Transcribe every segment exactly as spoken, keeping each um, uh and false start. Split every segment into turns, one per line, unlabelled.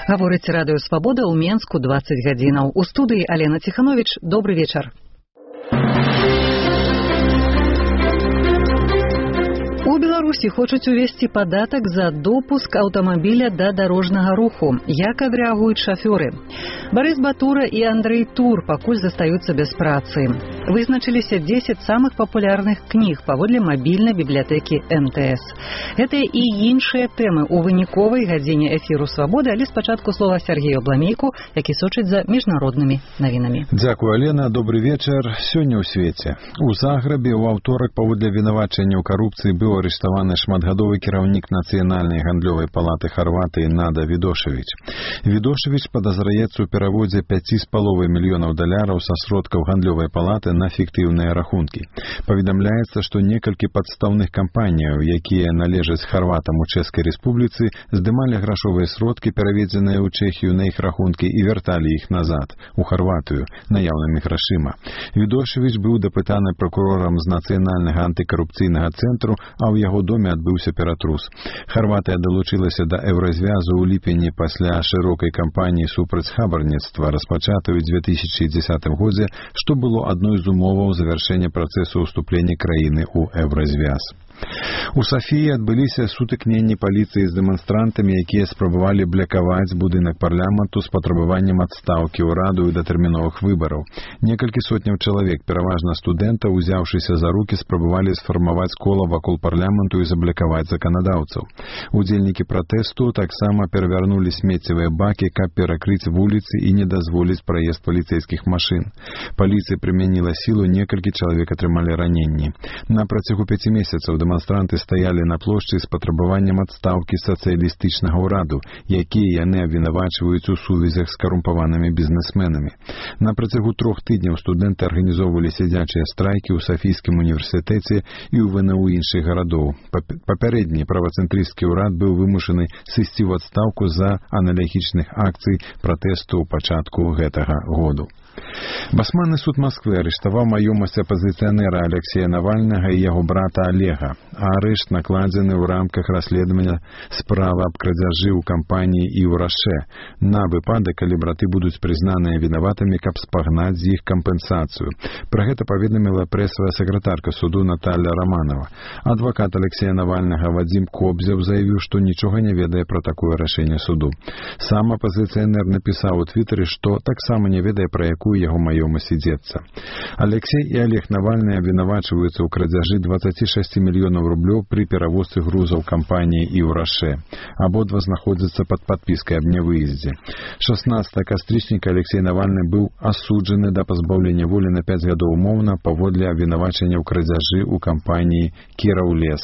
Гаворыць радыё Свабода ў Менску дваццаць гадзінаў. У студыі Алена Ціхановіч. Добры вечар. У Беларусі хочуць увесці падатак за допуск аўтамабіля да дарожнага руху. Як адрэагуюць шафёры? Барыс Батура і Андрэй Тур пакуль застаюцца без працы. Вызначыліся дзесяць самых папулярных кніг паводле мабільнай бібліятэкі эм тэ эс. Гэтыя і іншыя тэмы ў выніковай гадзіне эфіру Свабоды, але спачатку слова Сергею Бламейку, які сочыць за міжнароднымі навінамі.
Дзякуй, Алена. Добры вечар. Сёння ў свеце. У Заграбе ў аўторак паводле вінавачання ў карупцыі быў арыштаваны шматгадовы кіраўнік Нацыянальнай гандлёвай палаты Харватыі Нада Відошевіч. Відошевіч падазраецца ў пераводзе пяць з паловай мільёнаў даляраў са сродкаў гандлёвай палаты на фіктыўныя рахункі. Паведамляецца, што некалькі падстаўных кампаніяў, якія належаць харватам у Чэшскай Рэспубліцы, здымалі грашовыя сродкі, пераведзеныя ў Чэхію на іх рахункі, і вярталі іх назад, у Харватыю, наяўнымі грашыма. Відошевіч быў дапытаны пракурорам з Нацыянальнага антыкарупцыйнага цэнтру, а ў яго доме адбыўся ператрус. Харватыя далучылася да еўразвязу ў ліпені пасля шырокай кампаніі супраць хабарніцтва, распачатай у дзве тысячы дзесятым годзе, што было адной з умоваў завяршэння працэсу ўступлення краіны ў еўразвяз. У Сафіі адбыліся сутыкненні паліцыі з дэманстрантамі, якія спрабавалі блякаваць будынак парламенту з патрабаваннем адстаўкі ўраду і датэрміновых выбараў. Некалькі сотняў чалавек, пераважна студэнтаў, узяўшыся за рукі, спрабавалі сфармаваць кола вакол парламенту і заблякаваць заканадаўцаў. Удзельнікі пратэсту таксама перавярнулі смеццевыя бакі, каб перакрыць вуліцы і не дазволіць праезд паліцэйскіх машын. Паліцыя прымяніла сілу, некалькі чалавек атрымалі раненні. На працягу пяці месяцаў дэманстранты стаялі на плошчы з патрабаваннем адстаўкі сацыялістычнага ўраду, якія яны абвінавачваюць у сувязях з карумпаванымі бізнесменамі. На працягу трох тыдняў студэнты арганізоўвалі сядзячыя страйкі ў Сафійскім універсітэце і ў вэ эн у іншых гарадоў. Папярэдні правацэнтрысцкі ўрад быў вымушаны сысці ў адстаўку з-за аналагічных акцый пратэсту ў пачатку гэтага году. Басманны суд Масквы арыштаваў маёмасць апазіцыянера Алексея Навальнага і яго брата Олега. Арышт накладзены ў рамках расследавання справы аб крадзяжы ў кампаніі і ў Раше на выпадак, калі браты будуць прызнаныя вінаватымі, каб спагнаць з іх кампенсацыю. Пра гэта паведаміла прэсавая сакратарка суду Наталья Романова. Адвакат Алексея Навальнага Вадзім Кобзев заявіў, што нічога не ведае пра такое рашэнне суду. Сам апазіцыянер напісаў у твітары, што таксама не ведае, пра якую яго маёмасць ідзецца. Алексей і Олег Навальны абвінавачваюцца ў крадзяжы дваццаць шэсць мільёнаў рублёў пры перавозцы грузаў кампаніі і ў Раше. Абодва знаходзяцца пад падпіскай аб нявыездзе. шаснаццатага кастрычніка Алексей Навальны быў асуджаны да пазбаўлення волі на пяць гадоў умоўна паводле абвінавачання ў крадзяжы ў кампаніі «Кіраўлес».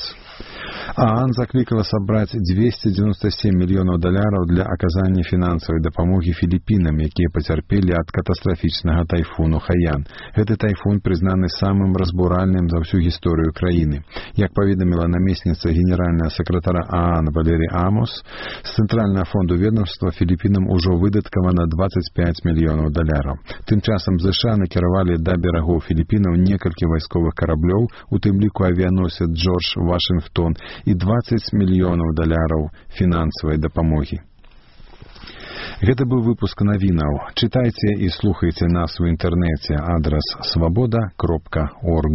ААН заклікала сабраць дзвесце дзевяносто сем мільёнаў даляраў для аказання фінансавай дапамогі Філіпінам, якія пацярпелі ад катастрафічнага тайфуну Хаян. Гэты тайфун прызнаны самым разбуральным за ўсю гісторыю краіны. Як паведаміла намесніца генеральнага сакратара ААН Валерий Амос, з цэнтральнага фонду ведомства Філіпінам ужо выдаткавана дваццаць пяць мільёнаў даляраў. Тым часам ЗША накіравалі да берагоў Філіпінаў некалькі вайсковых караблёў, у тым ліку авіяносец Джордж Вашынгтон, і дваццаць мільёнаў даляраў фінансавай дапамогі. Гэта быў выпуск навінаў. Чытайце і слухайце нас у інтэрнэце. Адрас свабода кропка орг.